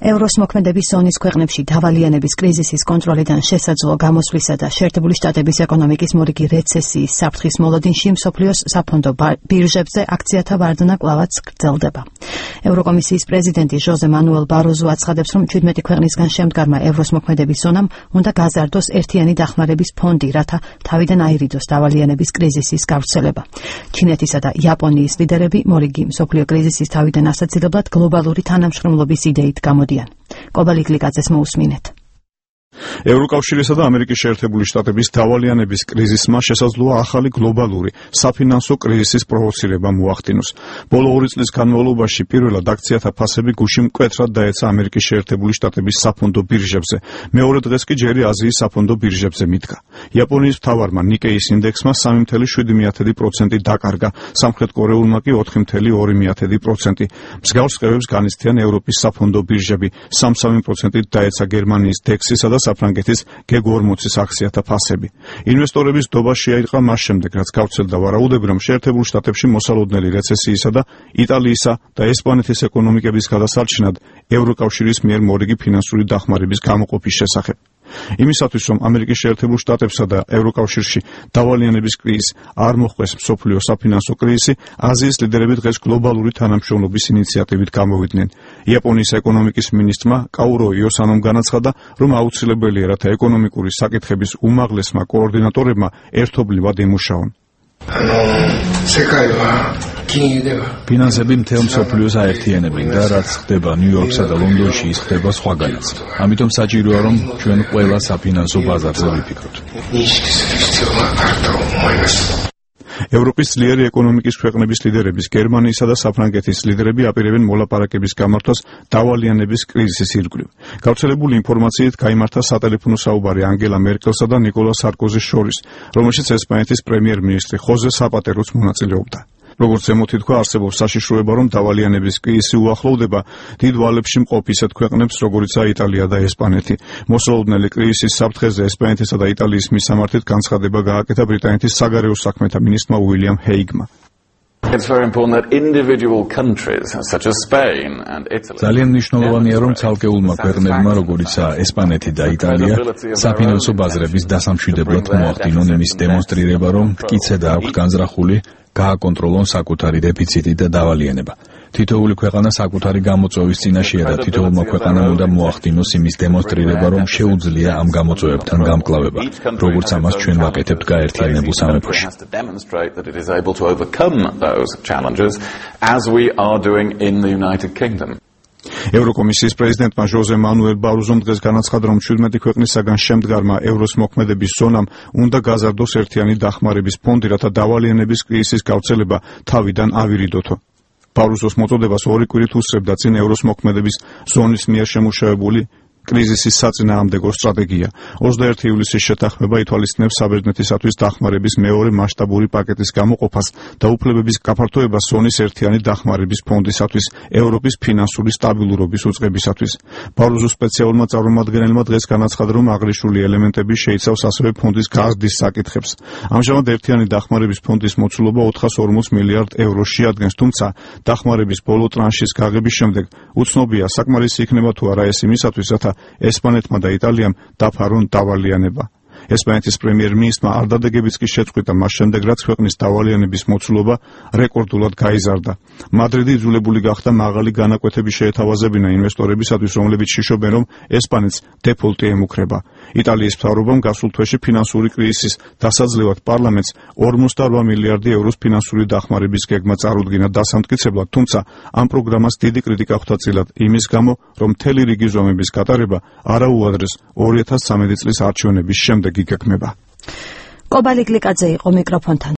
ევროს მოქმედების ზონის ქვეყნებში დავალიანების კრიზისის კონტროლიდან შესაძლო გამოსვლისა და შეერთებული შტატების ეკონომიკის მორიგი რეცესიის საფრთხის მოლოდინში მსოფლიოს საფონდო ბირჟებზე აქციათა ვარდნა კვლავაც გრძელდება. ევროკომისიის პრეზიდენტი ჟოზე მანუელ ბაროზო აცხადებს, რომ 17 ქვეყნისგან შემდგარმა ევროს მოქმედების ზონამ უნდა გაზარდოს ერთიანი დახმარების ფონდი, რათა თავიდან აირიდოს დავალიანების კრიზისის გავრცელება. ჩინეთისა და იაპონიის ლიდერები მორიგი მსოფლიო კრიზისის თავიდან ასაცილებლად გლობალური თანამშრომლობის იდეით გამოდიან. კობალიკ ლიკაძეს მოусმინეთ. ევროკავშირისა და ამერიკის შეერთებული შტატების დავალიანების კრიზისმა შესაძლოა ახალი გლობალური საფინანსო კრიზისის პროვოცირება მოახდინოს. ბოლო 2 წლის განმავლობაში პირველად აქციათა ფასები გუში მკვეთრად დაეცა ამერიკის შეერთებული შტატების საფონდო ბირჟებზე. მეორე დღეს კი ჯერი აზიის საფონდო ბირჟებზე მიდგა. იაპონიის მთავარმა ნიკეის ინდექსმა 3.7% დაკარგა, სამხრეთ კორეულმა კი 4.2%. მსგავს სხივებს განიცდიან ევროპის საფონდო ბირჟები. 3% დაეცა გერმანიის დექსისა და საფრანგეთის G40-ის აქციათა ფასები. ინვესტორების დობა შეაიყრა მას შემდეგ, რაც გავრცელდა ვარაუდები, რომ შეერთებულ შტატებში მოსალოდნელი რეცესიისა და იტალიისა და ესპანეთის ეკონომიკების გადასარჩენად ევროკავშირის მიერ მორიგი ფინანსური დახმარების გამოყოფის შესახებ. იმისათვის, რომ ამერიკის შეერთებულ შტატებსა და ევროკავშირში დავალიანების კრიზისი არ მოხვდეს მსოფლიო საფინანსო კრიზისი, აზიის ლიდერები დღეს გლობალური თანამშრომლობის ინიციატივით გამოვიდნენ. იაპონიის ეკონომიკის მინისტრმა კაურო იოსანომ განაცხადა, რომ აუცილებელია, რათა ეკონომიკური საკითხების უმაღლესმა კოორდინატორებმა ერთობლივად ემუშაონ. ფინანსები მთელ მსოფლიოს აერთიანებენ და რაც ხდება ნიუ-იორკსა და ლონდონში, ის ხდება სხვაგანაც. ამიტომ საჭიროა, რომ ჩვენ ყველა საფინანსო ბაზარზე ვიფიქროთ. ევროპის ძლიერი ეკონომიკის ქვეყნების ლიდერების, გერმანიისა და საფრანგეთის ლიდერები აპირებენ მოლაპარაკების გამართვას დავალიანების კრიზისის ირგვლივ. გავრცელებული ინფორმაციით გაიმართა სატელეფონო საუბარი ანგელა მერკელსა და ნიკოლა სარკოზის შორის, რომელშიც ესპანეთის პრემიერ-მინისტრი ხოზე საპატეროც მონაწილეობდა. როგორც ზემოთი თქვა, არსებობს საშიშროება, რომ დავალიანების კრიზისი უახლოვდება დიდ ვალებში მყოფ ისეთ ქვეყნებს, როგორიცაა იტალია და ესპანეთი. მოსალოდნელი კრიზისის საფრთხეზე ესპანეთისა და იტალიის მისამართით განცხადება გააკეთა ბრიტანეთის საგარეო საქმეთა მინისტრმა უილიამ ჰეიგმა. ძალიან მნიშვნელოვანია, რომ ცალკეულმა ქვეყნებმა, როგორიცაა ესპანეთი და იტალია, საფინანსო ბაზრების დასამშვიდებლად მოახდინონ იმის დემონსტრირება, რომ მტკიცე და აქვთ განზრახული გააკონტროლონ საკუთარი დეფიციტი და დავალიანება. თითოეული ქვეყანა საკუთარი გამოწვევის წინაშეა და თითოეულმა ქვეყანამ უნდა მოახდინოს იმის დემონსტრირება, რომ შეუძლია ამ გამოწვევებთან გამკლავება, როგორც ამას ჩვენ ვაკეთებთ გაერთიანებულ სამეფოში. ევროკომისიის პრეზიდენტმა ჟოზე მანუელ ბაროზომ დღეს განაცხადა, რომ 17 ქვეყნისაგან შემდგარმა ევროს მოქმედების ზონამ უნდა გაზარდოს ერთიანი დახმარების ფონდი, რათა დავალიანების კრიზისის გავრცელება თავიდან ავირიდოთო. ბაროზოს მოწოდებას 2 კვირით უსწრებდა წინ ევროს მოქმედების ზონის მიერ შემუშავებული კრიზისის საწინააღმდეგო სტრატეგია. 21 ივლისის შეთანხმება ითვალისწინებს საბერძნეთისათვის დახმარების მეორე მასშტაბური პაკეტის გამოყოფას და უფლებების გაფართოებას ზონის ერთიანი დახმარების ფონდისათვის, ევროპის ფინანსური სტაბილურობის უწყებისათვის. ბაროზოს სპეციალურმა წარმომადგენელმა დღეს განაცხადა, რომ აღნიშნული ელემენტები შეიცავს ასევე ფონდის გაზრდის საკითხებს. ამჟამად ერთიანი დახმარების ფონდის მოცულობა 440 მილიარდ ევროს შეადგენს, თუმცა დახმარების ბოლო ტრანშის გაღების შემდეგ უცნობია, საკმარისი იქნება თუ არა ეს იმისათვის, რათა ესპანეთმა და იტალიამ დაფარონ დავალიანება. ესპანეთის პრემიერ-მინისტრმა არ დადეგებიც კი შეწყვიტა მას შემდეგ, რაც ქვეყნის დავალიანების მოცულობა რეკორდულად გაიზარდა. მადრიდი იძულებული გახდა მაღალი განაკვეთები შეეთავაზებინა ინვესტორებისათვის, რომლებიც შიშობენ, რომ ესპანეთს დეფოლტი ემუქრება. იტალიის მთავრობამ გასულ თვეში ფინანსური კრიზისის დასაძლევად პარლამენტს 48 მილიარდი ევროს ფინანსური დახმარების გეგმა წარუდგინა დასამტკიცებლად, თუმცა ამ პროგრამას დიდი კრიტიკა ხვდა წილად იმის გამო, რომ მთელი რიგი ზომების გატარება არაუადრეს 2013 წლის არჩევნების შემდეგ იგეგმება. კობალიკ ლიკაძე იყო მიკროფონთან.